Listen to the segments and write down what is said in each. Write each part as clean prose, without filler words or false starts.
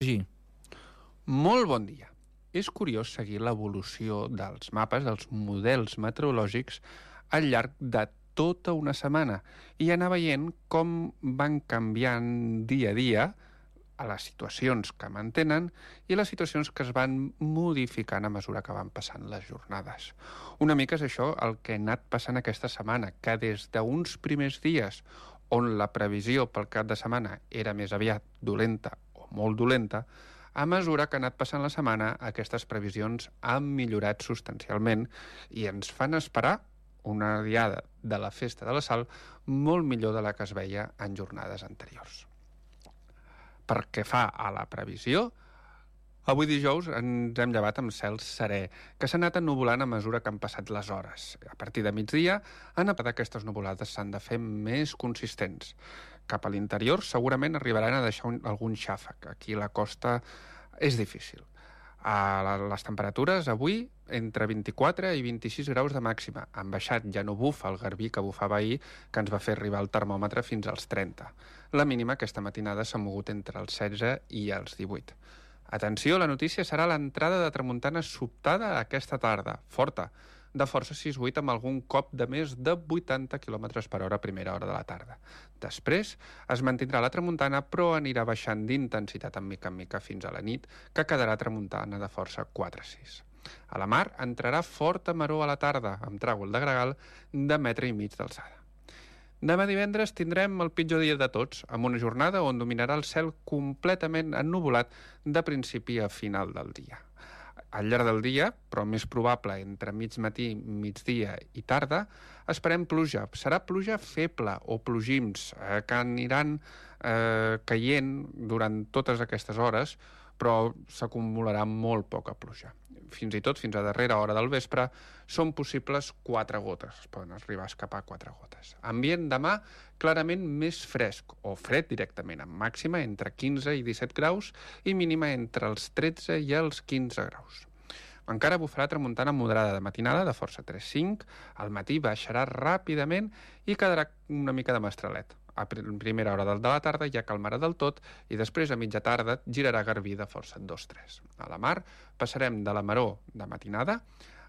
Sí. Molt bon dia. És curiós seguir l'evolució dels mapes, dels models meteorològics, al llarg de tota una setmana i anar veient com van canviant dia a dia a les situacions que mantenen i les situacions que es van modificant a mesura que van passant les jornades. Una mica és això el que ha anat passant aquesta setmana, que des d'uns primers dies on la previsió pel cap de setmana era més aviat dolenta o molt dolenta, a mesura que ha anat passant la setmana, aquestes previsions han millorat substancialment i ens fan esperar una diada de la Festa de la Sal molt millor de la que es veia en jornades anteriors. Per què fa a la previsió, avui dijous ens hem llevat amb cel serè, que s'ha anat ennuvolant a mesura que han passat les hores. A partir de migdia, aquestes nuvolades s'han de fer més consistents. Cap a l'interior segurament arribaran a deixar algun xàfec. Aquí a la costa és difícil. Les temperatures avui entre 24 i 26 graus de màxima. Han baixat, ja no bufa el garbí que bufava ahir, que ens va fer arribar el termòmetre fins als 30. La mínima aquesta matinada s'ha mogut entre els 16 i els 18. Atenció, la notícia serà l'entrada de tramuntana sobtada aquesta tarda, forta, de força 6-8 amb algun cop de més de 80 km per hora a primera hora de la tarda. Després es mantindrà la tramuntana, però anirà baixant d'intensitat en mica fins a la nit, que quedarà tramuntana de força 4-6. A la mar entrarà forta maror a la tarda, amb tràgol de gregal de 1,5 metres d'alçada. Demà divendres tindrem el pitjor dia de tots, amb una jornada on dominarà el cel completament ennuvolat de principi a final del dia. Al llarg del dia, però més probable entre mig matí, migdia i tarda, esperem pluja. Serà pluja feble o plogims que aniran caient durant totes aquestes hores, però s'acumularà molt poca pluja. Fins i tot, fins a darrera hora del vespre, són possibles 4 gotes. Es poden arribar a escapar 4 gotes. Ambient demà clarament més fresc, o fred directament, amb màxima entre 15 i 17 graus i mínima entre els 13 i els 15 graus. Encara bufarà tramuntana moderada de matinada, de força 3-5, al matí baixarà ràpidament i quedarà una mica de mestralet. A primera hora de la tarda ja calmarà del tot i després a mitja tarda girarà garbí de força 2-3. A la mar passarem de la maror de matinada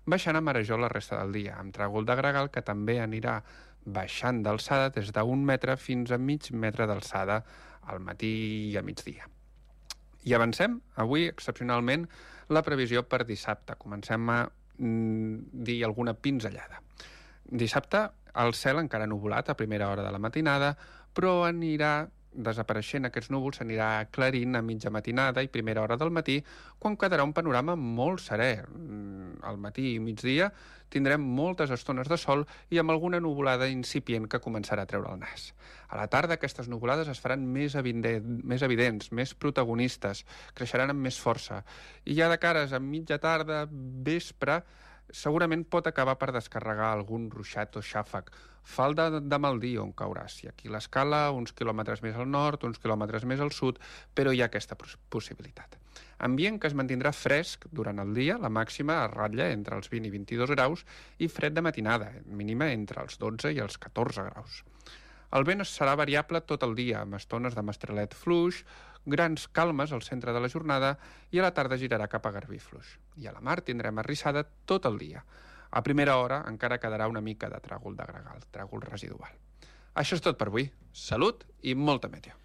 baixant a marejor la resta del dia, amb tràgol de gregal que també anirà baixant d'alçada des d'1 metre fins a mig metre d'alçada al matí i a migdia. I avancem, avui, excepcionalment, la previsió per dissabte. Comencem a dir alguna pinzellada. Dissabte, el cel encara nuvolat a primera hora de la matinada, però anirà desapareixent aquests núvols, s'anirà aclarint a mitja matinada i primera hora del matí, quan quedarà un panorama molt serè. Al matí i migdia tindrem moltes estones de sol i amb alguna nuvolada incipient que començarà a treure el nas. A la tarda aquestes nuvolades es faran més evidents, més protagonistes, creixeran amb més força. I ja de cares a mitja tarda, vespre, segurament pot acabar per descarregar algun ruixat o xàfec. Falta de mal dia on caurà. Si aquí l'escala, uns quilòmetres més al nord, uns quilòmetres més al sud, però hi ha aquesta possibilitat. Ambient que es mantindrà fresc durant el dia, la màxima es ratlla entre els 20 i 22 graus i fred de matinada, mínima entre els 12 i els 14 graus. El vent serà variable tot el dia, amb estones de mestralet fluix, grans calmes al centre de la jornada i a la tarda girarà cap a garbí fluix. I a la mar tindrem arrissada tot el dia. A primera hora encara quedarà una mica de tràgol de gregal, tràgol residual. Això és tot per avui. Salut i molta meteo.